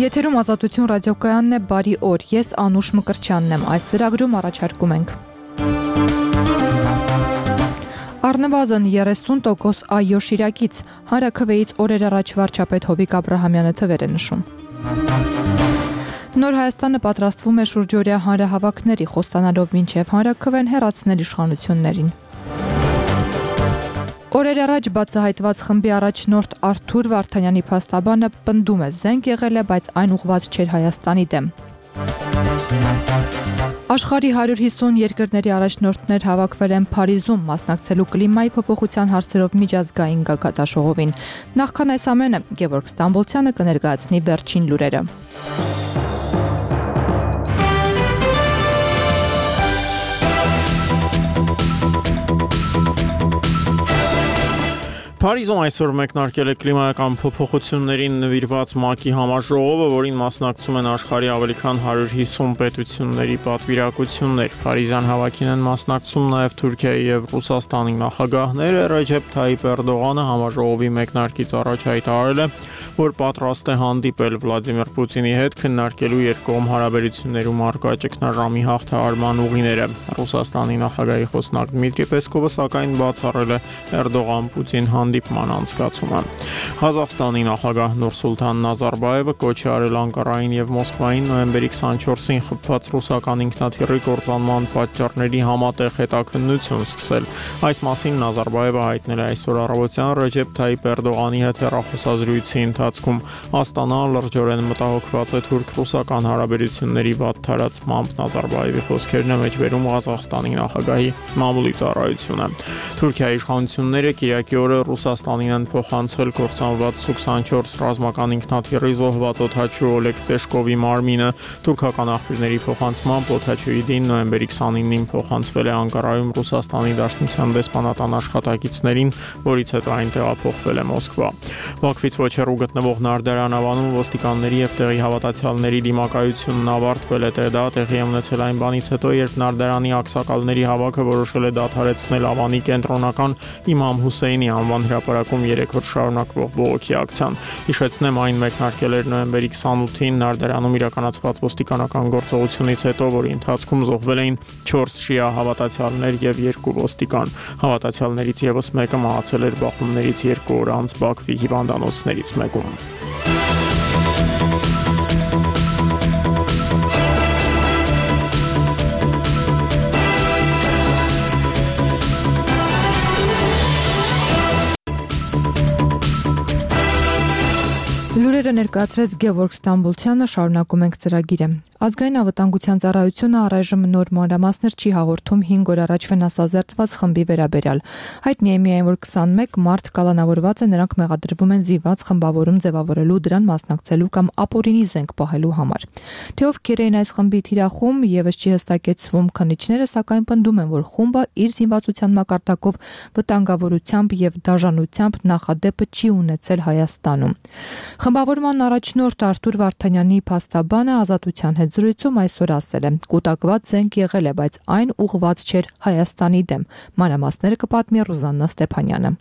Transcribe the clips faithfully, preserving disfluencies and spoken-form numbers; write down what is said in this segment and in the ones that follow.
Եթերում Ազատություն ռադիոկայանն է, բարի օր, ես Անուշ Մկրտչյանն եմ, այս ծրագրում առաջարկում ենք առնվազն երեսուն տոկոս այո շիրակից, հանրաքվեից օրեր առաջ վարչապետ Հովիկ Աբրահամյանը թվեր է նշում։ Նոր Հայաստանը պատրաստվում է շուրջօրյա հանրահավաքների, խոստանալով մինչև հանրաքվեն հեռացնել իշխանություններին։ Օրեր առաջ բացահայտված խմբի առաջնորդ Արթուր Վարդանյանի փաստաբանը պնդում է, զենք եղել է, բայց այն ուղղված չէր Հայաստանի դեմ։ Աշխարհի հարյուր հիսուն երկրների առաջնորդներ հավաքվել են Փարիզում, մասնակցելու կլիմայի փոփոխության հարցերով միջազգային գագաթնաժողովին։ Նախքան այս ամենը, Գևորգ Ստամբոլցյանը կներկայացնի վերջին լուրերը։ Փարիզում այսօր մեկնարկել է կլիմայական փոփոխություններին նվիրված ՄԱԿ-ի համաժողովը, որին մասնակցում են աշխարհի ավելի քան հարյուր հիսուն պետությունների պատվիրակություններ։ Փարիզյան հավաքին են մասնակցում նաև Թուրքիայի եւ Ռուսաստանի նախագահները։ Ռեջեփ Թայիպ Էրդողանը համաժողովի մեկնարկից առաջ հայտարարել է, որ պատրաստ է հանդիպել Վլադիմիր Պուտինի հետ քննարկելու երկկողմ հարաբերություններում առկա ճգնաժամի հաղթահարման ուղիները։ Ռուսաստանի նախագահի խոսնակ Դմիտրի Պեսկովը սակայն բացառել է Էրդողան-Պուտին հանդիպման անցկացումը։ Ղազախստանի նախագահ Նուրսուլթան Նազարբաևը կոչ է արել Անկարային եւ Մոսկվային նոյեմբերի քսանչորսին խփված ռուսական ինքնաթիռի կործանման պատճառների համատեղ հետաքննություն սկսել։ Այս մասին Նազարբաևը հայտնել է այսօր առավոտյան Ռեջեփ Թայիպ Էրդողանի հետ հեռախոսազրույցի ընթացքում։ Աստանան լրջորեն մտահոգված է թուրք-ռուսական հարաբերությունների վատ թարացմամբ։ Նազարբաևի խոսքերն է մեջբերում Ղազախստանի նախագահի մամուլի ծառայությունը։ Թուրքիայի իշխանությունները Կիրակի օրը Ռուսաստանին են փոխանցել կործանված Սու քսանչորս ռազմական ինքնաթիռի զոհված օդաչու Օլեգ Պեշկովի մարմինը։ Թուրքական աղբյուրների փոխանցմամբ օդաչուի դին նոյեմբերի քսանինին փոխանցվել է Անկարայում Ռուսաստանի Դաշնության դեսպանատան աշխատակիցներին, որից հետո այն տեղափոխվել է Մոսկվա։ Բաքվից ոչ հեռու գտնվող Նարդարան ավանում ոստիկանների եւ տեղի հավատացյալների դիմակայությունն ավարտվել է։ Դա տեղի է ունեցել այն բանից հետո, երբ Նարդարանի ակսակալների հավաքը որոշել է դադարեցնել ավանի կենտրոնական Իմամ Հուսեյնի անվան հրապարակում երեք օր շարունակվող բողոքի ակցիան։ Հիշեցնեմ, այն մեկնարկել էր նոյեմբերի քսանութին Նարդարանում իրականացված ոստիկանական գործողությունից հետո, որի ընթացքում զոհվել էին չորս շիա հավատացյալներ եւ երկու ոստիկան։ Հավատացյալներից եւս մեկը մահացել էր բախումներից երկու օր անց Բաքվի հիվանդանոցներից մեկում։ Լուրերը ներկայացրեց Գևորգ Ստամբոլցյանը, շարունակում ենք ծրագիրը։ Ազգային անվտանգության ծառայությունը առայժմ նոր մանրամասներ չի հաղորդում հինգ օր առաջ վնասազերծված խմբի վերաբերյալ։ Հայտնի է միայն, որ քսանմեկ մարդ կալանավորված է, նրանք մեղադրվում են զինված խմբավորում ձևավորելու, դրան մասնակցելու կամ ապօրինի զենք պահելու համար։ Թե ովքեր էին այս խմբի թիրախում, եւս չի հստակեցվում, քննիչները սակայն պնդում են, որ խումբը իր զինվածության մակարդակով վտանգավորությամբ եւ դաժանությամբ նախադեպը չի ունեցել Հայաստանում։ Խմբավորման առաջնորդ Արթուր Վարդանյանի փաստաբանը Ազատության հետ զրույցում այսօր ասել է. կուտակված զենք եղել է, բայց այն ուղղված չէր Հայաստանի դեմ։ Մանրամասները կպատմի Ռուզաննա Ստեփանյանը։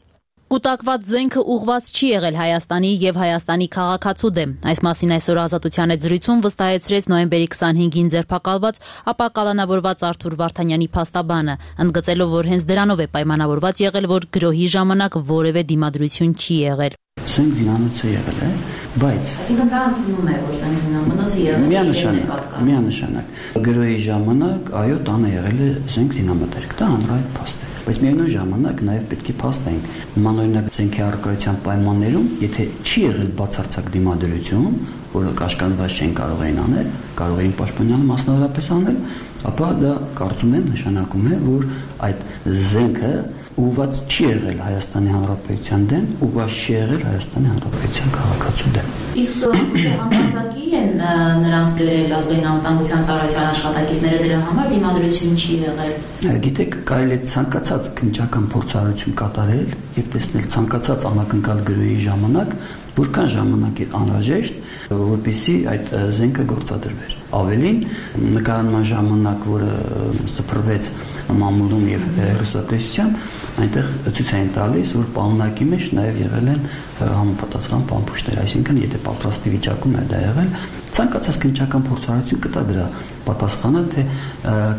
Կուտակված զենքը ուղղված չի եղել Հայաստանի եւ Հայաստանի քաղաքացու դեմ։ Այս մասին այսօր Ազատության հետ զրույցում վստահեցրեց նոյեմբերի քսանհինգին ձերբակալված, ապա կալանավորված Արթուր Վարդանյանի փաստաբանը, ընդգծելով, որ հենց դրանով է պայմանավորված եղել, որ գրոհի ժամանակ որևէ դիմադրություն չի եղել։ Զենք զինանոցը եղել է, բայց այսինքն դա ընդունում է, որ զենք զինանոցը եղել է միանշանակ, միանշանակ։ Գրոհի ժամանակ այո, տանը եղել է զենք զինամթերք, դա հանրահայտ փաստ է։ Բայց միևնույն ժամանակ նաև պետք է փաստենք մանրօրինակ զենքի առկայության պայմաններում, եթե չի եղել բացարձակ դիմադրություն, որը կաշկանդված չեն կարող էին անել, կարող էին պաշտպանյալ մասնավորապես անել, ապա դա կարծում եմ նշանակում է, որ այդ զենքը ուղղված չի եղել Հայաստանի Հանրապետության դեմ, ուղղված չի եղել Հայաստանի Հանրապետության քաղաքացու դեմ։ Իսկ համարձակի են նրանց բերել ազգային անվտանգության ծառայության աշխատակիցները դրա համար դիմադրություն չի եղել։ Գիտեք, կարելի է ցանկացած քննչական փորձառություն կատարել եւ տեսնել ցանկացած անակնկալ գրոհի ժամանակ, որքան ժամանակ է անհրաժեշտ, որպեսզի այդ զենքը գործադրվեր։ Ավելին, նկարանման ժամանակ, որը սփռվեց մամուլում եւ հեռուստատեսությամբ, այնտեղ ցույց են տալիս, որ պարունակի մեջ նաև եղել են համապատասխան պամփուշտներ, այսինքն եթե պատրաստի վիճակում է դա եղել, ցանկացած քննչական փորձառություն կտա դրա պատասխանը, թե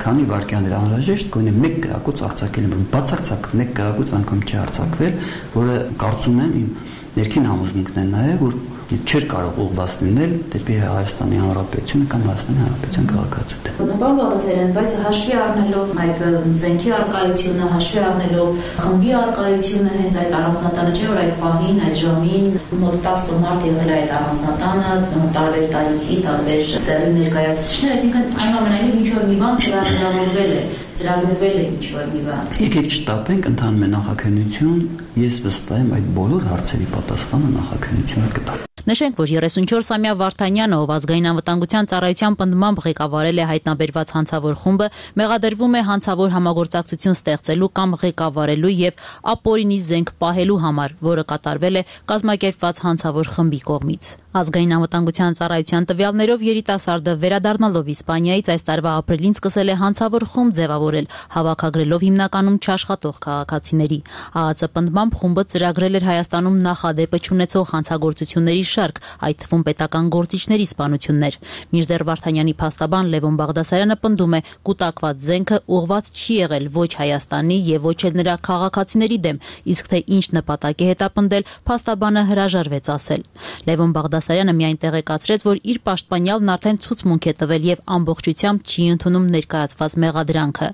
քանի վայրկյան էր անհրաժեշտ գոնե մեկ գրակոց արձակել, բացարձակ մեկ գրակոց անգամ չի արձակվել, որը կարծում եմ իմ ներքին համոզմունքն է նաև, որ չէր կարող ուղղված լինել դեպի Հայաստանի Հանրապետությունը կամ Հայաստանի Հանրապետության քաղաքացիություն։ Բնական Բաղդասարյան, բայց հաշվի առնելով այդ զենքի արկայությունը, հաշվի առնելով խմբի արկայությունը, հենց այդ առանձնատանը չէ, որ այդ պահին, այդ ժամին մոտ տասը մարդ եղել է այդ առանձնատանը, տարբեր տարիքի, տարբեր սեռի ներկայացուցիչներ, այսինքն այնուամենայնիվ ինչ որ մի բան ծրագրավորվել է, ծրագրվել է ինչ որ մի բան։ Եկեք շտապենք ընդհանուր նախաքննություն, ես վստահ եմ այդ բոլոր հարցերի պատասխանը նախաքննությունը կտա։ Նշենք, որ երեսունչորսամյա Վարդանյանը, ով ազգային անվտանգության ծառայության պնդմամբ ղեկավարել է հայտնաբերված հանցավոր խումբը, մեղադրվում է հանցավոր համագործակցություն ստեղծելու կամ ղեկավարելու եւ ապօրինի զենք պահելու համար, որը կատարվել է կազմակերպված հանցավոր խմբի կողմից։ Ազգային անվտանգության ծառայության տվյալներով երիտասարդը վերադառնալով Իսպանիայից այս տարվա ապրիլին սկսել է հանցավոր խումբ ձևավորել, հավաքագրելով հիմնականում չաշխատող քաղաքացիների։ ԱԱԾ պնդմամբ խումբը ծրագրել էր Հայաստանում նախադեպը չունեցող հանցագործությունների շարք, այդ թվում պետական գործիչների սպանություններ։ Մինչդեռ Վարդանյանի փաստաբան Լևոն Բաղդասարյանը պնդում է, կուտակված զենքը ուղղված չի եղել ոչ Հայաստանի եւ ոչ էլ նրա քաղաքացիների դեմ, իսկ թե ինչ նպատակ է հետապնդել, փաստաբանը հրաժարվեց ասել։ Լևոն Բաղդասարյանը միայն տեղեկացրեց, որ իր պաշտպանյալն արդեն ցուցմունք է տվել եւ ամբողջությամբ չի ընդունում ներկայացված մեղադրանքը։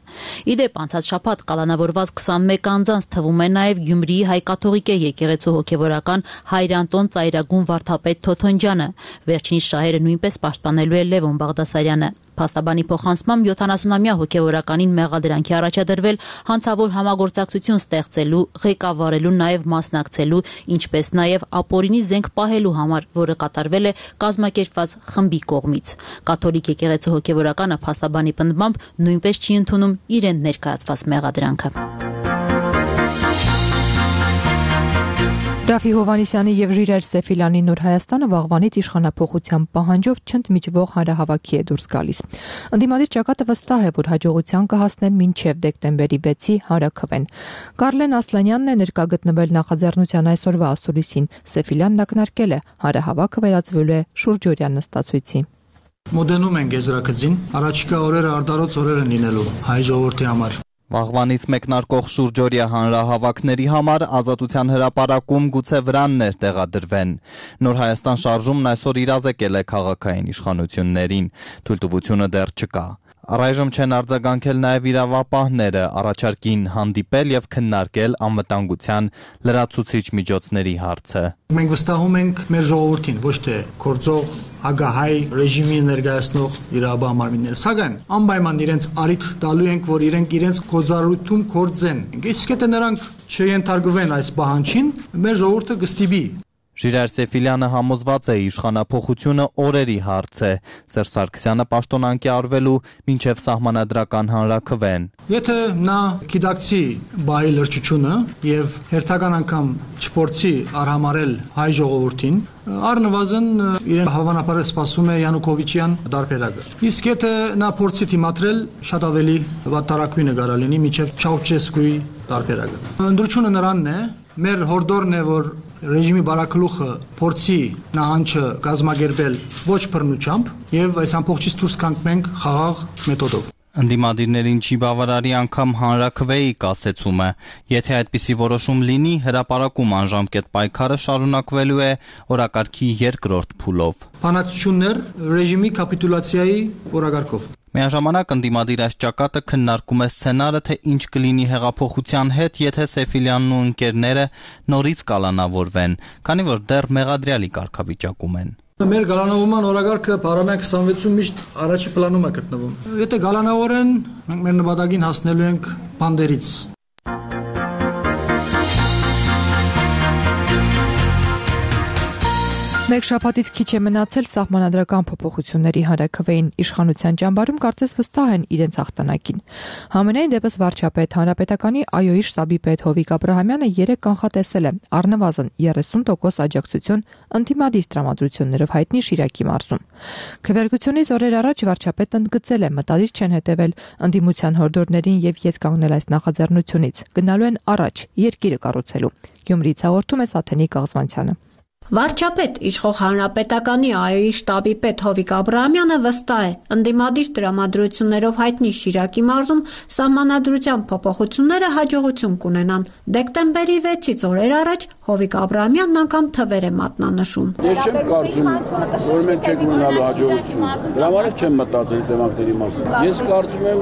Իդեպ անցած շաբաթ կալանավորված քսանմեկ անձանց թվում է նաեւ Գյումրիի հայ-կաթողիկե եկեղեցու հոգեվորական Հայրանտոն Ծայրագուն Վարդապետ Թոթոնջյանը։ Վերջինիս շահերը նույնպես պաշտպանելու է Լևոն Բաղդասարյանը։ Փաստաբանի փոխանցմամբ յոթանասունամյա հոգեվորականին մեղադրանքի առաջադրվել հանցավոր համագործակցություն ստեղծելու, ղեկավարելու, նաև մասնակցելու, ինչպես նաև ապօրինի զենք պահելու համար, որը կատարվել է կազմակերպված խմբի կողմից։ Կաթոլիկ եկեղեցու հոգեվորականը փաստաբանի պնդմամբ նույնպես չի ընդունում իրեն ներկայացված մեղադրանքը։ Դավթ Հովհաննիսյանի եւ Ժիրայր Սեֆիլյանի Նոր Հայաստանը վաղվանից իշխանափոխության պահանջով չընդմիջվող հանրահավաքի է դուրս գալիս։ Ընդդիմադիր ճակատը վստահ է, որ հաջողության կհասնեն մինչև դեկտեմբերի վեցի հանրաքվեն։ Կարլեն Ասլանյանն է ներկա գտնվել նախաձեռնության այսօրվա ասուլիսին։ Սեֆիլյանն ակնարկել է, հանրահավաքը վերածվելու է շուրջօրյա նստացույցի։ Մոդենում են գեզրակցին, առաջիկա օրերը արդարոց օրեր են լինելու հայ ժողովրդի համար։ Վաղվանից մեկնարկող շուրջօրյա հանրահավաքների համար Ազատության հրապարակում գուցե վրաններ տեղադրվեն։ Նոր Հայաստան շարժումն այսօր իրազեկել է քաղաքային իշխանություններին, թույլտվությունը դեռ չկա։ Առայժմ չեն արձագանքել նաև իրավապահները, առաջարկին հանդիպել եւ քննարկել անվտանգության լրացուցիչ միջոցների հարցը։ Մենք վստահում ենք մեր ժողովրդին, ոչ թե գործող ագահայ ռեժիմի ներկայացնող իրավաբան մարմինները, սակայն անպայման իրենց արիթ տալու ենք, որ իրենք իրենց գործառույթում գործեն։ Իսկ եթե նրանք չենթարկվեն այս պահանջին, մեր ժողովուրդը կստիպի։ Ժիրայր Սեֆիլյանը համոզված է, իշխանափոխությունը օրերի հարց է, Սերժ Սարգսյանը պաշտոնանկի արվելու մինչև սահմանադրական հանրաքվեն։ Եթե նա գիտակցի բայ լրջությունը եւ հերթական անգամ չփորձի արհամարել հայ ժողովրդին, առնվազն իրեն հավանաբար սպասում է Յանուկովիչյան դարբերակը։ Իսկ եթե նա փորձի դիմադրել, շատ ավելի վատթարակույնը կարա լինի մինչև Չաուշեսկուի դարբերակը։ Ընդրությունը նրանն է, մեր հորդորն է, որ ռեժիմի բարակլուխը փորձի նահանջը կազմակերպել ոչ բռնությամբ եւ այս ամբողջից դուրս կանգնենք խաղաղ մեթոդով։ Ընդդիմադիրներին չի բավարարի անգամ հանրաքվեի կասեցումը։ Եթե այդպիսի որոշում լինի, հրապարակում անժամկետ պայքարը շարունակվելու է օրակարգի երկրորդ փուլով։ Բանակցություններ ռեժիմի կապիտուլյացիայի օրակարգով։ Միաժամանակ ընդդիմադիր այս ճակատը քննարկում է սցենարը, թե ինչ կլինի հեղափոխության հետ, եթե Սեֆիլյանն ու ընկերները նորից կալանավորվեն, քանի որ դեռ մեղադրյալի կարգավիճակում են։ Մեր գալանավորման օրակարգը Փարամյան քսանվեցում միշտ առաջի պլանում է գտնվում։ Եթե գալանավորեն, մենք մեր նպատակին հասնելու ենք բանդերից։ Մեկ շաբաթից քիչ է մնացել սահմանադրական փոփոխությունների հանրաքվեին, իշխանության ճամբարում կարծես վստահ են իրենց հաղթանակին։ Համենայն դեպս վարչապետ հանրապետականի ԱՅՈ-ի շտաբի պետ Հովիկ Աբրահամյանը երեկ կանխատեսել է առնվազն երեսուն տոկոս աջակցություն ընդդիմադիր տրամադրություններով հայտնի Շիրակի մարզում։ Քվեարկությունից օրեր առաջ վարչապետն ընդգծել է մտադիր չեն հետևել ընդդիմության հորդորներին եւ ետ կանգնել այս նախաձեռնությունից, գնալու են առաջ երկիրը կառուցելու։ Գյումրիից հաղորդում է Սաթենիկ Աղզվանցյանը։ Վարչապետ իշխող հանրապետականի ԱՅՈ-ի շտաբի պետ Հովիկ Աբրահամյանը վստահ է, ընդդիմադիր տրամադրություններով հայտնի Շիրակի մարզում սահմանադրության փոփոխությունները հաջողություն կունենան։ Դեկտեմբերի վեցից օրեր առաջ Հովիկ Աբրահամյանն անգամ թվեր է մատնանշում։ Ես չեմ կարծում, որ մենք չենք ունենալու հաջողություն։ Դրա համար չեմ մտածել տեմանքների մասին։ Ես կարծում եմ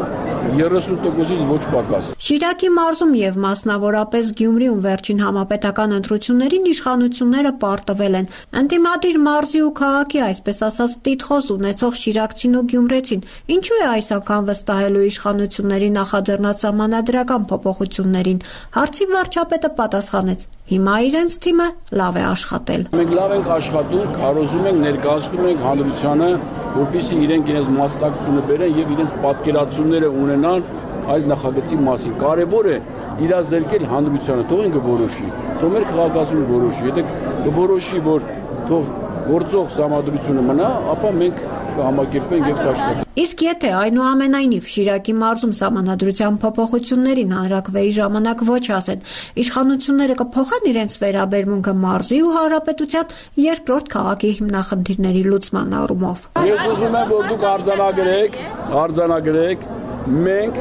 երեսուն տոկոսից ոչ պակաս։ Շիրակի մարզում եւ մասնավորապես Գյումրիում վերջին համապետական ընտրություններին իշխանությունները պարտվել են։ Ընդդիմադիր մարզի ու քաղաքի, այսպես ասած, տիտղոս ունեցող շիրակցին ու գյումրեցին ինչու է այս անգամ վստահելու իշխանությունների նախաձեռնած սահմանադրական փոփոխություններին։ Հարցի վարչապետը պատասխանեց. հիմա իրենց թիմը լավ է աշխատել։ Մենք լավ ենք աշխատում, քարոզում ենք, ներկայացնում ենք հանրությանը, որպեսզի իրենք իրենց մասնակցությունը բերեն եւ իրենց պատկերացումները ունենան այս նախագծի մասին։ Կարևոր է իրազեկել հանրությանը, թող ինքը որոշի, թող մեր քաղաքացիությունը որոշի։ Եթե որոշի, որ թող գործող սահմանադրությունը մնա, ապա մենք կհամակերպենք եւ կաշխատենք։ Իսկ եթե այնուամենայնիվ Շիրակի մարզում սահմանադրության փոփոխություններին հանրաքվեի ժամանակ ոչ ասեն, իշխանությունները կփոխեն իրենց վերաբերմունքը մարզի ու հանրապետության երկրորդ քաղաքի հիմնախնդիրների լուծման առումով։ Ես ուզում եմ, որ դուք արձանագրեք, արձանագրեք, մենք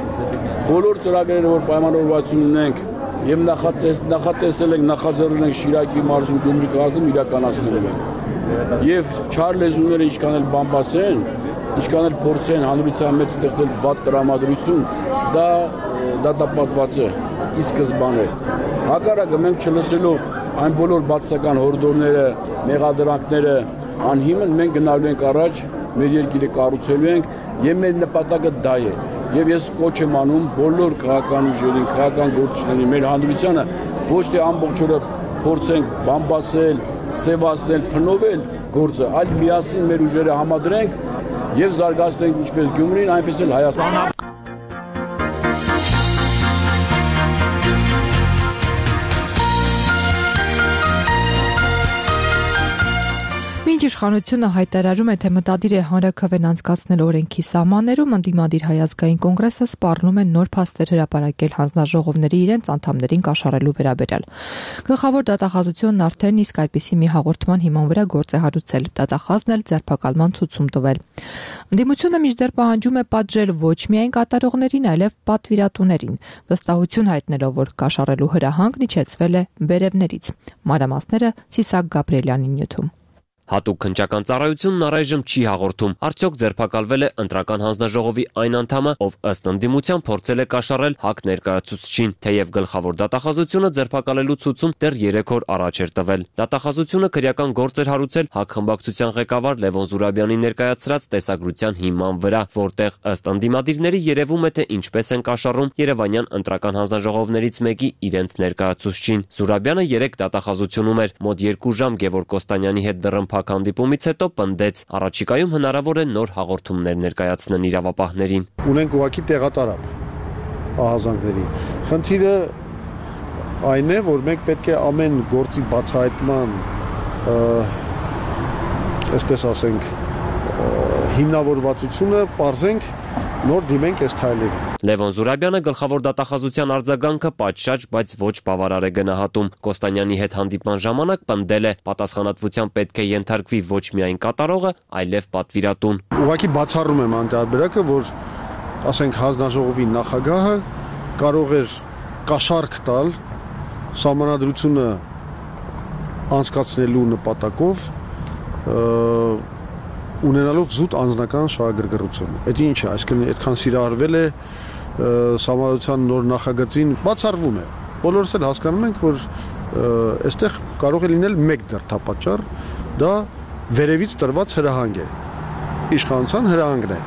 բոլոր ծրագրերը, որ պայմանավորվածություն ունենք եւ նախատեսել ենք, նախաձեռնել ենք Շիրակի մարզում Գյումրի քաղաքում իրականացնելու ենք։ Եվ չար լեզուները ինչքան էլ բամբասեն, ինչքան էլ փորձեն հանրության մեջ ստեղծել վատ տրամադրություն, դա դատապատված է ի սկզբանե։ Հակառակը մենք չլսելով այն բոլոր բացասական հորդորները, մեղադրանքները անհիմն մենք գնալու ենք առաջ, մեր երկիրը կառուցելու ենք եւ մեր նպատակը դա է։ Եվ ես կոչ եմ անում բոլոր քաղաքական ուժերին, քաղաքական գործիչներին, մեր հանրությանը ոչ թե ամբողջ օրը փորձենք բամբասել, սևացնել, փնովել գործը, այլ միասին մեր ուժերը համադրենք եւ զարգացնենք ինչպես Գյումրին, այնպես էլ Հայաստանը։ Մինչ իշխանությունը հայտարարում է, թե մտադիր է հանրաքվեն անցկացնել օրենքի սահմաններում, ընդդիմադիր Հայ ազգային կոնգրեսը սպառնում է նոր փաստեր հրապարակել հանձնաժողովների իրենց անդամներին կաշառելու վերաբերյալ։ Գլխավոր դատախազությունն արդեն իսկ այդպիսի մի հաղորդման հիման վրա գործ է հարուցել, դատախազն էլ ձերբակալման ցուցում տվել։ Ընդդիմությունը մինչդեռ պահանջում է պատժել ոչ միայն կատարողներին, այլև պատվիրատուներին, վստահություն հայտնելով, որ կաշառելու հրահանգն իջեցվել է վերևներից։ Մանրամասները Սիսակ Գաբրիելյանի նյութում։ Հատուկ քննչական ծառայությունն առայժմ չի հաղորդում, արդյոք ձերբակալվել է ընտրական հանձնաժողովի այն անդամը, ով ըստ ընդդիմության փորձել է կաշառել ՀԱԿ ներկայացուցչին, թեև գլխավոր դատախազությունը ձերբակալելու ցուցում դեռ երեք օր առաջ էր տվել։ Դատախազությունը քրեական գործ էր հարուցել ՀԱԿ խմբակցության ղեկավար Լևոն Զուրաբյանի ներկայացրած տեսագրության հիման վրա, որտեղ ըստ ընդդիմադիրների երևում է, թե ինչպես են կաշառում Երևանյան ընտրական հանձնաժողովներից մեկի իրենց ներկայացուցչին։ Զուրաբյանը երեք դատախազությունում էր, մոտ երկու ժամ Գևորգ Կոստանյանի հետ դռնփակ հանդիպումից հետո պնդեց, առաջիկայում հնարավոր է նոր հաղորդումներ ներկայացնեն իրավապահներին։ Ունենք ուղղակի տեղատարապ ահազանգների։ Խնդիրը այն է, որ մենք պետք է ամեն գործի բացահայտման, այսպես ասենք, հիմնավորվածությունը պարզենք, նոր դիմենք այս քայլերին։ Լևոն Զուրաբյանը գլխավոր դատախազության արձագանքը պատշաճ, բայց ոչ բավարար է գնահատում։ Կոստանյանի հետ հանդիպման ժամանակ պնդել է, պատասխանատվության պետք է ենթարկվի ոչ միայն կատարողը, այլև պատվիրատուն։ Ուղղակի բացառում եմ անտարբերակը, որ ասենք հանձնաժողովի նախագահը կարող էր կաշառք տալ սահմանադրությունը անցկացնելու նպատակով ունենալով զուտ անձնական շահագրգռություն։ Այդ ինչ է, այսինքն այդքան սիրահարվել է սահմանադրության նոր նախագծին, բացառվում է։ Բոլորս էլ հասկանում ենք, որ այստեղ կարող է լինել մեկ դրդապատճառ, դա վերևից տրված հրահանգ է։ Իշխանության հրահանգն է։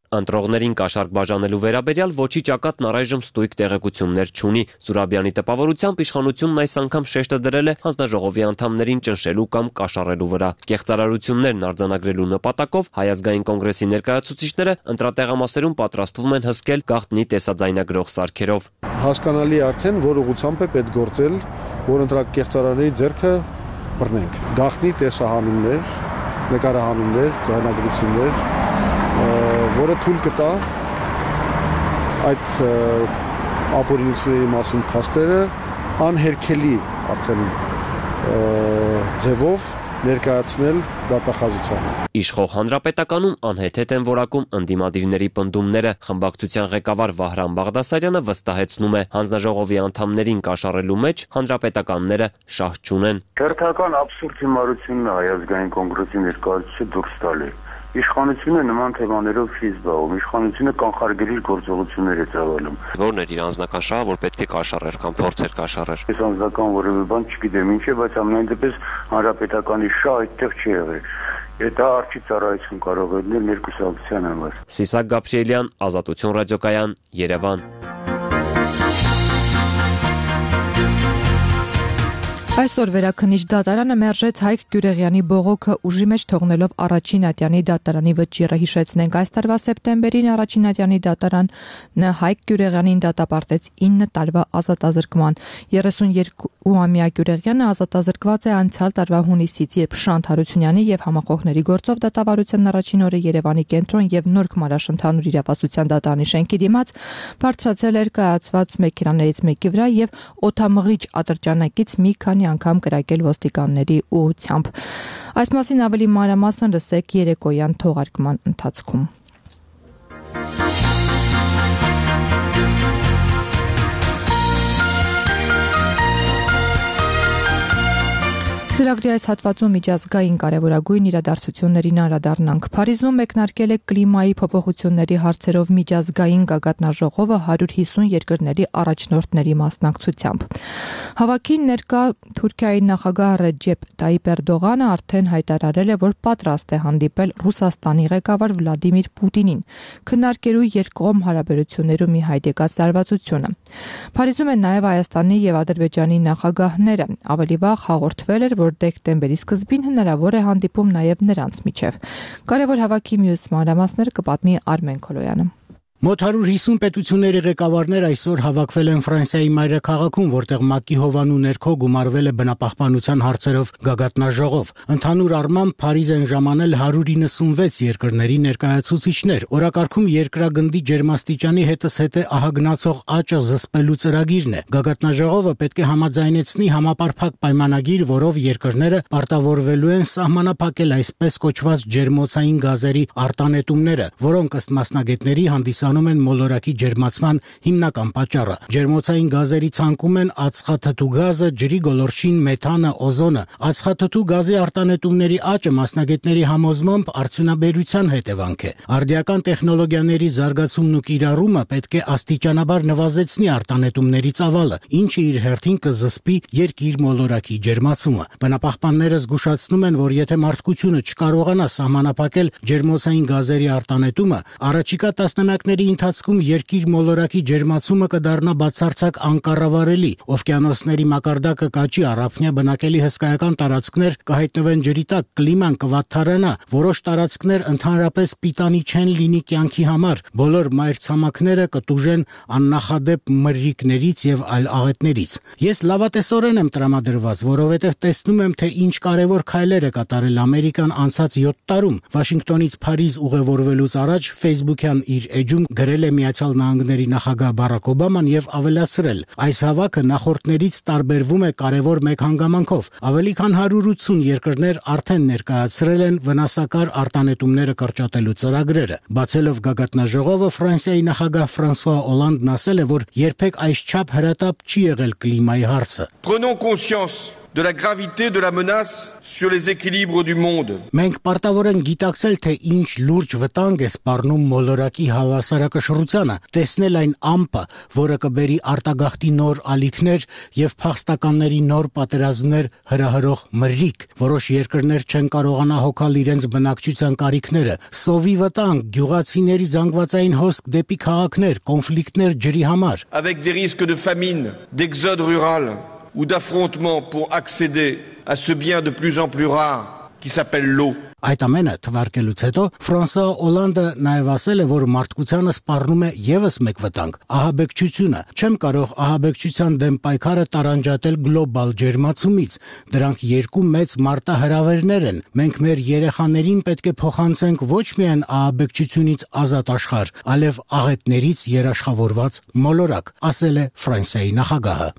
Ընտրողներին կաշառք բաժանելու վերաբերյալ ոչի ճակատն առայժմ ստույգ տեղեկություններ չունի։ Զուրաբյանի տպավորությամբ իշխանությունն այս անգամ շեշտը դրել է հանձնաժողովի անդամներին ճնշելու կամ կաշառելու վրա։ Կեղծարարություններն արձանագրելու նպատակով Հայ ազգային կոնգրեսի ներկայացուցիչները ընտրատեղամասերում պատրաստվում են հսկել գաղտնի տեսաձայնագրող սարքերով։ Հասկանալի արդեն, որ ուղղությամբ է պետք գործել, որ ընտրակեղծարարների ձեռքը բռնենք։ Գաղտնի տեսահանումներ, նկարահանումներ, ձայնագրություններ, որը թույլ կտա այդ ապօրինությունների մասին փաստերը անհերքելի արդեն ձևով ներկայացնել դատախազությանը։ Իշխող հանրապետականում անհեթեթ են որակում ընդդիմադիրների պնդումները։ Խմբակցության ղեկավար Վահրամ Բաղդասարյանը վստահեցնում է, հանձնաժողովի անդամներին կաշառելու մեջ հանրապետականները շահ չունեն։ Հերթական աբսուրդ հիմարությունն է Հայ ազգային կոնգրեսի ներկայացուցիչը դուրս տալի։ Իշխանությունը նման թեմաներով չի զբաղվում, իշխանությունը կանխարգելիչ գործողություններ է ծավալում։ Որն էր իր անձնական շահը, որ պետք է կաշառեր կամ փորձեր կաշառեր։ Ես անձնական որևէ բան չգիտեմ ինչ է, բայց ամենայն դեպս հանրապետականի շահ այդտեղ չի եղել։ Դա արժի ծառայություն կարող է լինել ներկուսակցության համար։ Սիսակ Գաբրիելյան, Ազատություն ռադիոկայան, Երևան։ Այսօր վերաքննիչ դատարանը մերժեց Հայկ Գյուրեղյանի բողոքը ուժի մեջ թողնելով առաջին ատյանի դատարանի վճիռը։ Հիշեցնենք, այս տարվա սեպտեմբերին առաջին ատյանի դատարանը Հայկ Գյուրեղյանին դատապարտեց ինը տարվա ազատազրկման։ երեսունյոթամյա Գյուրեղյանը ազատազրկված է անցյալ տարվա հունիսից, երբ Շանթ Հարությունյանի եւ համախոհների գործով դատավարության առաջին օրը Երևանի կենտրոն եւ Նորք Մարաշ ընդհանուր իրավասության դատարանի շենքի դիմաց բարձրացել էր կայացված մեքենաներից մեկի վրա եւ օդամղիչ ատրճանակից մի քանի անգամ կրակել ոստիկանների ուղությամբ։ Այս մասին ավելի մանրամասն լսեք երեկոյան թողարկման ընթացքում։ Ծրագրի այս հատվածում միջազգային կարևորագույն իրադարձություններին անդրադառնանք։ Փարիզում մեկնարկել է կլիմայի փոփոխությունների հարցերով միջազգային գագաթնաժողովը հարյուր հիսուն երկրների առաջնորդների մասնակցությամբ։ Հավաքին ներկա Թուրքիայի նախագահ Ռեջեփ Տայիպ Էրդողանը արդեն հայտարարել է, որ պատրաստ է հանդիպել Ռուսաստանի ղեկավար Վլադիմիր Պուտինին, քննարկելու երկկողմ հարաբերություններում ի հայտ եկած լարվածությունը։ Փարիզում են նաև Հայաստանի եւ Ադրբեջանի նախագահները։ Ավելի վաղ հաղորդվել էր, որ դեկտեմբերի սկզբին հնարավոր է հանդիպում նաև նրանց միջև։ Կարևոր հավաքի մյուս մանրամասները կպատմի Արմեն Քոլոյանը։ Մոտ հարյուր հիսուն պետությունների ղեկավարներ այսօր հավաքվել են Ֆրանսիայի մայրաքաղաքում, որտեղ ՄԱԿ-ի հովանու ներքո գումարվել է բնապահպանության հարցերով գագաթնաժողով։ Ընդհանուր առմամբ Փարիզ են ժամանել հարյուր իննսունվեց երկրների ներկայացուցիչներ։ Օրակարգում երկրագնդի ջերմաստիճանի հետզհետե ահագնացող աճը զսպելու ծրագիրն է։ Գագաթնաժողովը պետք է համաձայնեցնի համապարփակ պայմանագիր, որով երկրները պարտավորվելու են սահմանափակել այսպես կոչված ջերմոցային գազերի արտանետումները, որոնք ըստ մասնագետների հանդիսանում են մոլորակի ջերմացման հիմնական պատճառը։ Ջերմոցային գազերի ցանկում են ածխաթթու գազը, ջրի գոլորշին, մեթանը, օզոնը։ Ածխաթթու գազի արտանետումների աճը մասնագետների համոզմամբ արդյունաբերության հետևանք է։ Արդիական տեխնոլոգիաների զարգացումն ու կիրառումը պետք է աստիճանաբար նվազեցնի արտանետումների ծավալը, ինչը իր հերթին կզսպի երկիր մոլորակի ջերմացումը։ Բնապահպանները զգուշացնում են, որ եթե մարդկությունը չկարողանա սահմանափակել ջերմոցային գազերի արտանետումը, առաջիկա տասնամյակների ընթացքում երկիր մոլորակի ջերմացումը կդառնա բացարձակ անկառավարելի, օվկիանոսների մակարդակը կաճի, առափնյա բնակելի հսկայական տարածքներ կհայտնվեն ջրի տակ, կլիման կվատթարանա, որոշ տարածքներ ընդհանրապես պիտանի չեն լինի կյանքի համար, բոլոր մայրցամաքները կտուժեն աննախադեպ մրրիկներից եւ այլ աղետներից։ Ես լավատեսորեն եմ տրամադրված, որովհետեւ տեսնում եմ, թե ինչ կարևոր քայլեր է կատարել Ամերիկան անցած յոթ տարում։ Վաշինգտոնից Փարիզ ուղևորվելուց առաջ Facebook-յան իր էջում գրել է Միացյալ Նահանգների նախագահ Բարակ Օբաման եւ ավելացրել. այս հավաքը նախորդներից տարբերվում է կարևոր մեկ հանգամանքով։ Ավելի քան հարյուր ութսուն երկրներ արդեն ներկայացրել են վնասակար արտանետումները կրճատելու ծրագրերը։ Բացելով գագաթնաժողովը, Ֆրանսիայի նախագահ Ֆրանսուଆ Օլանդն ասել է, որ երբեք այսչափ հրատապ չի եղել կլիմայի հարցը։ Prenons conscience de la gravité de la menace sur les équilibres du monde. Մենք պարտավոր ենք գիտակցել, թե ինչ լուրջ վտանգ է սպառնում մոլորակի հավասարակշռությանը, տեսնել այն ամպը, որը կբերի արտագաղթի նոր ալիքներ եւ փախստականների նոր պատերազմներ հրահրող մրրիկ։ Որոշ երկրներ չեն կարողանա հոգալ իրենց բնակչության կարիքները, սովի վտանգ, գյուղացիների զանգվածային հոսք դեպի քաղաքներ, կոնֆլիկտներ ջրի համար։ Avec des risques de famine, d'exode rural ou d'affrontement pour accéder à ce bien de plus en plus rare qui s'appelle l'eau. Այդ ամենը թվարկելուց հետո Ֆրանսուଆ Օլանդը նաև ասել է, որ մարդկությանը սպառնում է եւս մեկ վտանգ՝ ահաբեկչությունը։ Չեմ կարող ահաբեկչության դեմ պայքարը տարանջատել գլոբալ ջերմացումից։ Դրանք երկու մեծ մարտահրավերներ են։ Մենք մեր երեխաներին պետք է փոխանցենք ոչ միայն ահաբեկչությունից ազատ աշխարհ, այլև աղետներից երաշխավորված մոլորակ, ասել է Ֆրանսիայի նախագահը։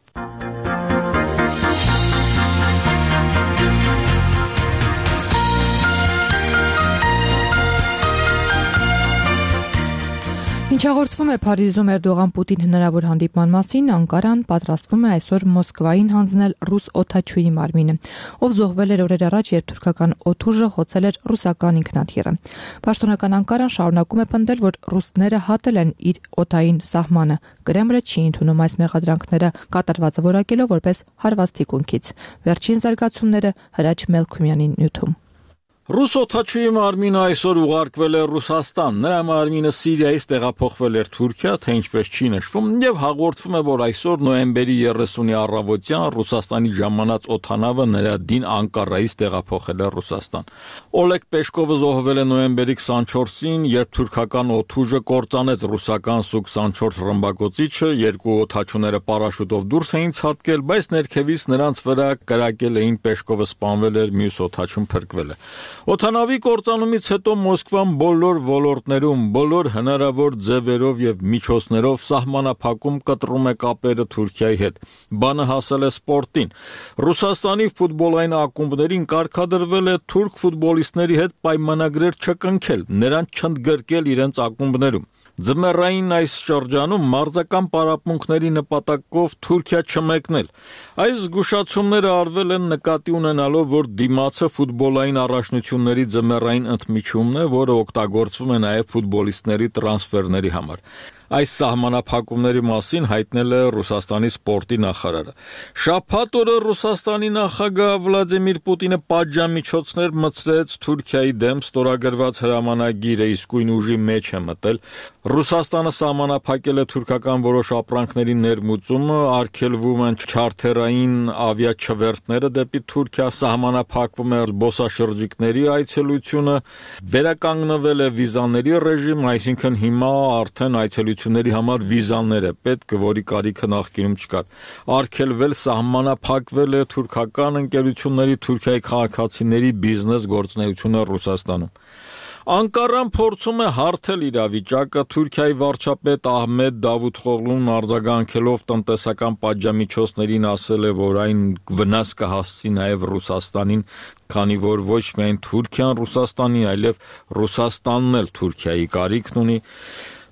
Ինչ հաղորդվում է Փարիզում Էրդողան-Պուտին հնարավոր հանդիպման մասին, Անկարան պատրաստվում է այսօր Մոսկվային հանձնել ռուս օդաչուի մարմինը, ով զոհվել էր օրեր առաջ, երբ թուրքական օդուժը խոցել էր ռուսական ինքնաթիռը։ Պաշտոնական Անկարան շարունակում է պնդել, որ ռուսները հատել են իր օդային սահմանը։ Կրեմլը չի ընդունում այս մեղադրանքները, կատարվածը որակելով որպես հարված թիկունքից։ Վերջին զարգացումները Հրաչ Մելքումյանի նյութում։ Ռուս օդաչուի մարմինը այսօր ուղարկվել է Ռուսաստան, նրա մարմինը Սիրիայից տեղափոխվել էր Թուրքիա, թե ինչպես չի նշվում, եւ հաղորդվում է, որ այսօր նոյեմբերի երեսունի առավոտյան Ռուսաստանի ժամանած օդանավը նրա դին Անկարայից տեղափոխել է Ռուսաստան։ Օլեգ Պեշկովը զոհվել է նոյեմբերի քսանչորսին, երբ թուրքական օդուժը կործանեց ռուսական Սու քսանչորս ռմբակոծիչը, երկու օդաչուները պարաշուտով դուրս էին ցատկել, բայց ներքևից նրանց վրա կրակել էին Պեշկովը սպանվել էր, մյուս օդաչուն փրկվել է։ Օդանավի կործանումից հետո Մոսկվան բոլոր ոլորտներում, բոլոր հնարավոր ձևերով եւ միջոցներով սահմանափակում կտրում է կապերը Թուրքիայի հետ։ Բանը հասել է սպորտին։ Ռուսաստանի ֆուտբոլային ակումբներին կարգադրվել է թուրք ֆուտբոլիստների հետ պայմանագրեր չկնքել, նրանց չընդգրկել իրենց ակումբներում։ Ձմեռային այս շրջանում մարզական պարապմունքների նպատակով Թուրքիա չմեկնել։ Այս զգուշացումները արվել են նկատի ունենալով, որ դիմացը ֆուտբոլային առաջնությունների ձմեռային ընդմիջումն է, որը օգտագործվում է նաև ֆուտբոլիստների տրանսֆերների համար։ Այս սահմանափակումների մասին հայտնել է Ռուսաստանի սպորտի նախարարը։ Շաբաթ օրը Ռուսաստանի նախագահ Վլադիմիր Պուտինը պատժամիջոցներ մտցրեց Թուրքիայի դեմ, ստորագրված հրամանագիրը իսկույն ուժի մեջ է մտել։ Ռուսաստանը սահմանափակել է թուրքական որոշ ապրանքների ներմուծումը, արգելվում են չարթերային ավիաչվերթները դեպի Թուրքիա, սահմանափակվում է զբոսաշրջիկների այցելությունը, վերականգնվել է վիզաների ռեժիմ, այսինքն հիմա արդեն այցելությունների համար վիզաներ է պետք, որի կարիքը նախկինում չկար։ Արգելվել, սահմանափակվել է թուրքական ընկերությունների, Թուրքիայի քաղաքացիների բիզնես գործունեությունը Ռուսաստանում։ Անկարան փորձում է հարթել իրավիճակը, Թուրքիայի վարչապետ Ահմեդ Դավութօղլուն արձագանքելով տնտեսական պատժամիջոցներին ասել է, որ այն վնաս կհասցի նաև Ռուսաստանին, քանի որ ոչ միայն Թուրքիան Ռուսաստանի, այլև Ռուսաստանն էլ Թուրքիայի կարիքն ունի։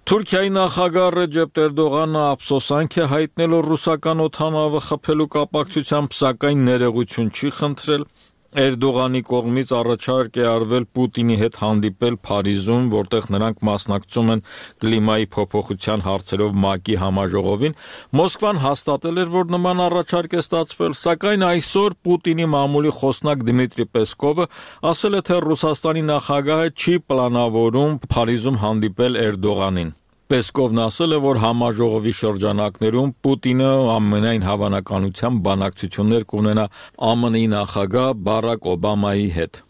Թուրքիայի նախագահ Ռեջեփ Էրդողանը ափսոսանք է հայտնել ռուսական օդանավը խփելու կապակցությամբ, սակայն ներողություն չի խնդրել։ Էրդողանի կողմից առաջարկ է արվել Պուտինի հետ հանդիպել Փարիզում, որտեղ նրանք մասնակցում են կլիմայի փոփոխության հարցերով ՄԱԿ-ի համաժողովին։ Մոսկվան հաստատել էր, որ նման առաջարկ է ստացվել, սակայն այսօր Պուտինի մամուլի խոսնակ Դմիտրի Պեսկովը ասել է, թե Ռուսաստանի նախագահը չի պլանավորում Փարիզում հանդիպել Էրդողանին։ Պեսկովն ասել է, որ համաժողովի շրջանակներում Պուտինը ամենայն հավանականությամբ բանակցություններ կունենա ԱՄՆ-ի նախագահ Բարակ Օբամայի հետ։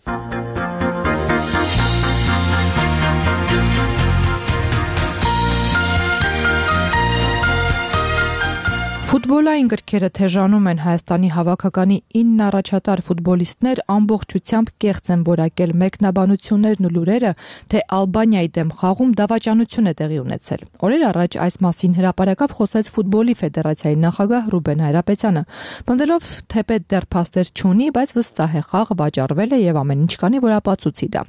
Ֆուտբոլային գրքերը թեժանում են Հայաստանի հավաքականի ինը առաջատար ֆուտբոլիստներ ամբողջությամբ կեղծ են որակել մեկնաբանություններն ու լուրերը, թե Ալբանիայի դեմ խաղում դավաճանություն է տեղի ունեցել։ Օրեր առաջ այս մասին հրապարակավ խոսեց ֆուտբոլի ֆեդերացիայի նախագահ Ռուբեն Հայրապետյանը, պնդելով, թեպետ դեռ փաստեր չունի, բայց վստահ է խաղը վաճառվել է եւ ամեն ինչ կանի, որ ապացուցի դա։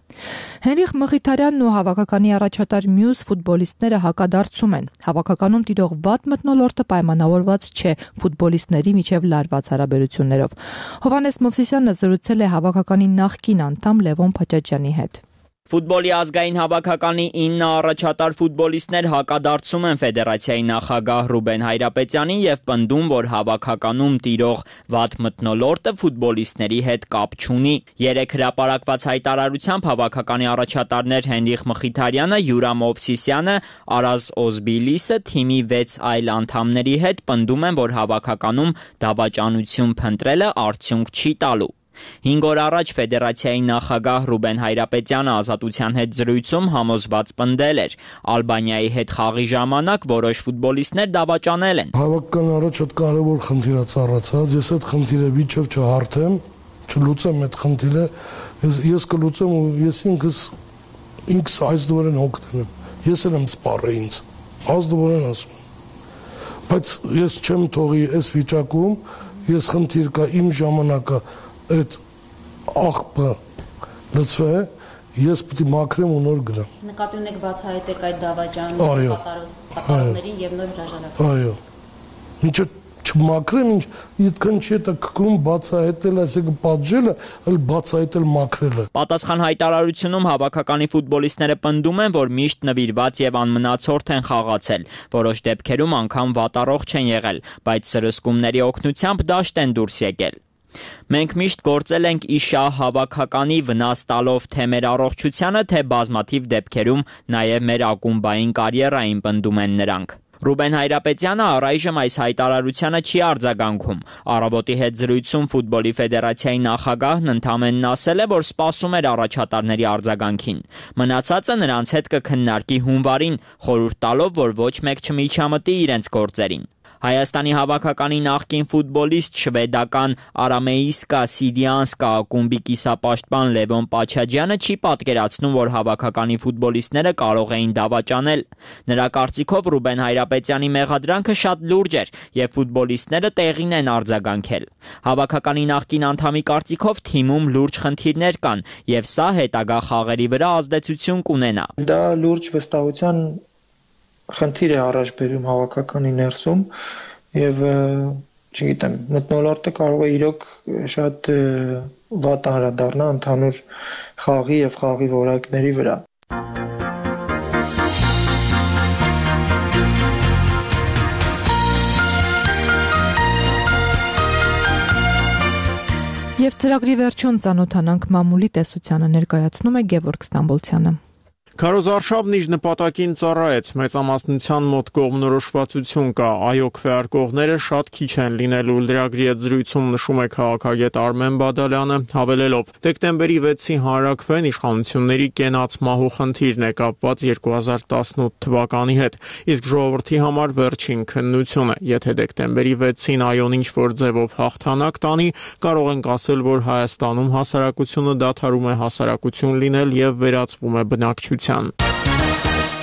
Հենրիխ Մխիթարյանն ու հավաքականի առաջատար մյուս ֆուտբոլիստները հակադարձում են։ Հավաքականում տիրող վատ մթնոլորտը պայմանավորված չէ ֆուտբոլիստների միջև լարված հարաբերություններով։ Հովհաննես Մովսիսյանը զրուցել է հավաքականի նախկին անդամ Լևոն Փաչաչյանի հետ։ Ֆուտբոլի ազգային հավաքականի ինը առաջատար ֆուտբոլիստներ հակադարձում են ֆեդերացիայի նախագահ Ռուբեն Հայրապետյանին եւ պնդում, որ հավաքականում տիրող վատ մթնոլորտը ֆուտբոլիստների հետ կապ չունի։ Երեք հրապարակված հայտարարությամբ հավաքականի առաջատարներ Հենրիխ Մխիթարյանը, Յուրա Մովսիսյանը, Արազ Օզբիլիսը թիմի վեց այլ անդամների հետ պնդում են, որ հավաքականում դավաճանություն փնտրելը արդյունք չի տալու։ Հինգ օր առաջ ֆեդերացիայի նախագահ Ռուբեն Հայրապետյանը Ազատության հետ զրույցում համոզված պնդել էր. Ալբանիայի հետ խաղի ժամանակ որոշ ֆուտբոլիստներ դավաճանել են։ Հավաքական առաջ այդ կարևոր խնդիր է ծառացած, ես այդ խնդիրը միջև չհարթեմ, չլուծեմ այդ խնդիրը, ես, ես կլուծեմ ու ես ինքս ինքս այս դուրեն օգտվեմ։ Ես էլ եմ սպառել ինձ։ Այս դուրեն ասում։ Բայց ես չեմ թողի այս վիճակում, ես խնդիր կա իմ ժամանակը այդ աղբը լծվե, ես պետք է մաքրեմ ու նոր գրեմ։ Նկատի ունեք բացահայտեք այդ դավաճանության կատարողներին եւ նոր հրաժարականը։ Այո։ Ինչը չմաքրեմ, ինչ իդքան չի դա կկրում բացահայտել, այսինքն պատժելը, այլ բացահայտել մաքրելը։ Պատասխան հայտարարությունում հավաքականի ֆուտբոլիստները պնդում են, որ միշտ նվիրված եւ անմնացորդ են խաղացել, որոշ դեպքերում անգամ վատառողջ են եղել, բայց սրսկումների օգնությամբ դաշտ են դուրս եկել։ Մենք միշտ գործել ենք իշահ հավաքականի վնաս տալով թե մեր առողջությանը, թե բազմաթիվ դեպքերում նաև մեր ակումբային կարիերային պնդում են նրանք։ Ռուբեն Հայրապետյանը առայժմ այս հայտարարությանը չի արձագանքում։ Առավոտի հետ զրույցում ֆուտբոլի ֆեդերացիայի նախագահն ընդամենն ասել է, որ սպասում էր առաջատարների արձագանքին։ Մնացածը նրանց հետ կքննարկի հունվարին, խորհուրդ տալով, որ ոչ մեկ չմիջամտի իրենց գործերին։ Հայաստանի հավաքականի նախկին ֆուտբոլիստ շվեդական Արամեիսկա Սիրիանսկա ակումբի կիսապաշտպան Լևոն Փաչաչյանը չի պատկերացնում, որ հավաքականի ֆուտբոլիստները կարող էին դավաճանել։ Նրա կարծիքով Ռուբեն Հայրապետյանի մեղադրանքը շատ լուրջ էր եւ ֆուտբոլիստները տեղին են արձագանքել։ Հավաքականի նախկին անդամի կարծիքով թիմում լուրջ խնդիրներ կան եւ սա հետագա խաղերի վրա ազդեցություն կունենա։ Դա լուրջ վստահության խնդիր է առաջ բերում հավաքականի ներսում եւ չգիտեմ, մթնոլորտը կարող է իրոք շատ վատ անդրադառնա ընդհանուր խաղի եւ խաղի որակների վրա։ Եվ ծրագրի վերջում ծանոթանանք մամուլի տեսությանը, ներկայացնում է Գևորգ Ստամբոլցյանը։ Քարոզարշավն իր նպատակին ծառայեց, մեծամասնության մոտ կողմնորոշվածություն կա, այո քվեարկողները շատ քիչ են լինելու, լրագրի հետ զրույցում նշում է քաղաքագետ Արմեն Բադալյանը, հավելելով. դեկտեմբերի վեցի հանրաքվեն իշխանությունների կենաց մահու խնդիրն է կապված երկու հազար տասնութ թվականի հետ, իսկ ժողովրդի համար վերջին քննություն է, եթե դեկտեմբերի վեցին այոն ինչ-որ ձևով հաղթանակ տանի, կարող ենք ասել, որ Հայաստանում հասարակությունը դադարում է հասարակություն լինել եւ վերածվում է բնակչության։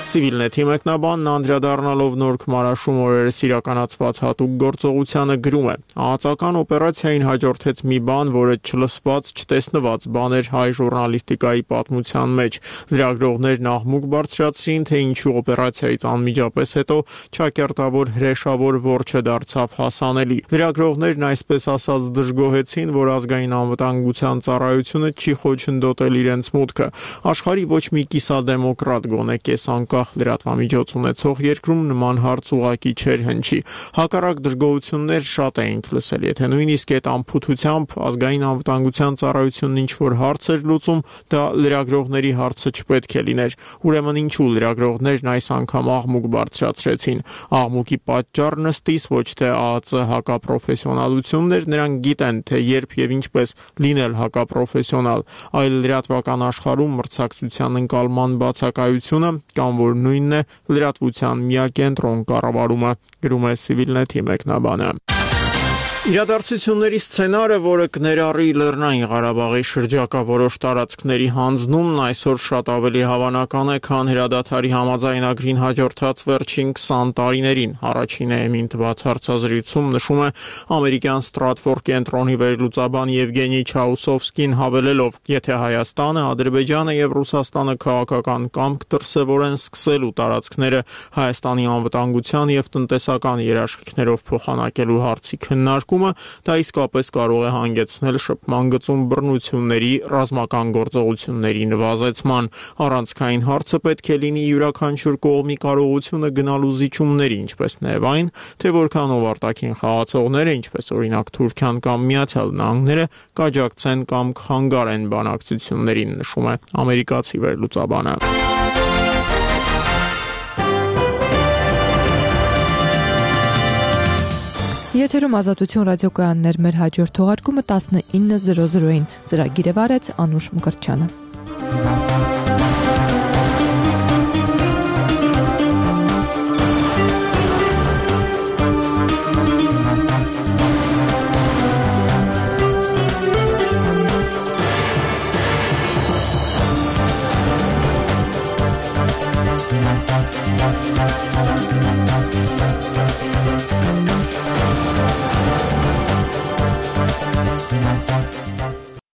Civilnet-ի մեկնաբանն անդրադառնալով Նոր Քմարաշում օրերս իրականացված հատուկ գործողությանը գրում է. Ահացական օպերացիային հաջորդեց մի բան, որը չլսված, չտեսնված բան էր հայ ժուրնալիստիկայի պատմության մեջ։ Լրագրողներն աղմուկ բարձրացրին, թե ինչու օպերացիայից անմիջապես հետո ճակերտավոր հրեշավոր որջը դարձավ հասանելի։ Լրագրողներն այսպես ասած դժգոհեցին, որ ազգային անվտանգության ծառայությունը չի խոչընդոտել իրենց մուտքը։ Աշխարհի ոչ մի կիսադեմոկրատ գոնե կես անկախ լրատվամիջոց ունեցող երկրում նման հարց ուղակի չէր հնչի։ Հակառակ դժգոհություններ շատ էինք լսել, եթե նույնիսկ այդ անփութությամբ ազգային անվտանգության ծառայությունն ինչ-որ հարց էր լուծում, դա լրագրողների հարցը չպետք է լիներ։ Ուրեմն ինչու լրագրողներն այս անգամ աղմուկ բարձրացրեցին։ Աղմուկի պատճառն ըստիս ոչ թե ԱԱԾ հակապրոֆեսիոնալությունն էր, նրանք գիտեն, թե երբ եւ ինչպես լինել հակապրոֆեսիոնալ, այլ լրատվական աշխարհում մրցակցության ընկալման բացակայությունը կամ որ նույնն է լրատվության միակենտրոն կառավարումը, գրում է Civilnet-ի մեկնաբանը։ Իրադարձությունների սցենարը, որը կներառի Լեռնային Ղարաբաղի շրջակա որոշ տարածքների հանձնումն այսօր շատ ավելի հավանական է, քան հրադադարի համաձայնագրին հաջորդած վերջին քսան տարիներին։ Առաջին էմին տված հարցազրույցում նշում է ամերիկյան Ստրատֆորդ կենտրոնի վերլուծաբան Եվգենի Չաուսովսկին, հավելելով, եթե Հայաստանը, Ադրբեջանը եւ Ռուսաստանը քաղաքական կամք դրսեւորեն սկսելու տարածքները Հայաստանի անվտանգության եւ տնտեսական երաշխիքներով փոխանակելու հարցի քննարկում, դա իսկապես կարող է հանգեցնել շփման գծում բռնությունների, ռազմական գործողությունների նվազեցման։ Առանցքային հարցը պետք է լինի յուրաքանչյուր կողմի կարողությունը գնալու զիջումների, ինչպես նաև այն, թե որքանով արտաքին խաղացողները, ինչպես օրինակ Թուրքիան կամ Միացյալ Նահանգները, կաջակցեն կամ կխանգարեն բանակցություններին, նշում է ամերիկացի վերլուծաբանը։ Եթերում Ազատություն ռադիոկայաններ, մեր հաջորդ թողարկումը տասնինը զրո զրոին։ Ծրագիրը վարեց Անուշ Մկրտչյանը։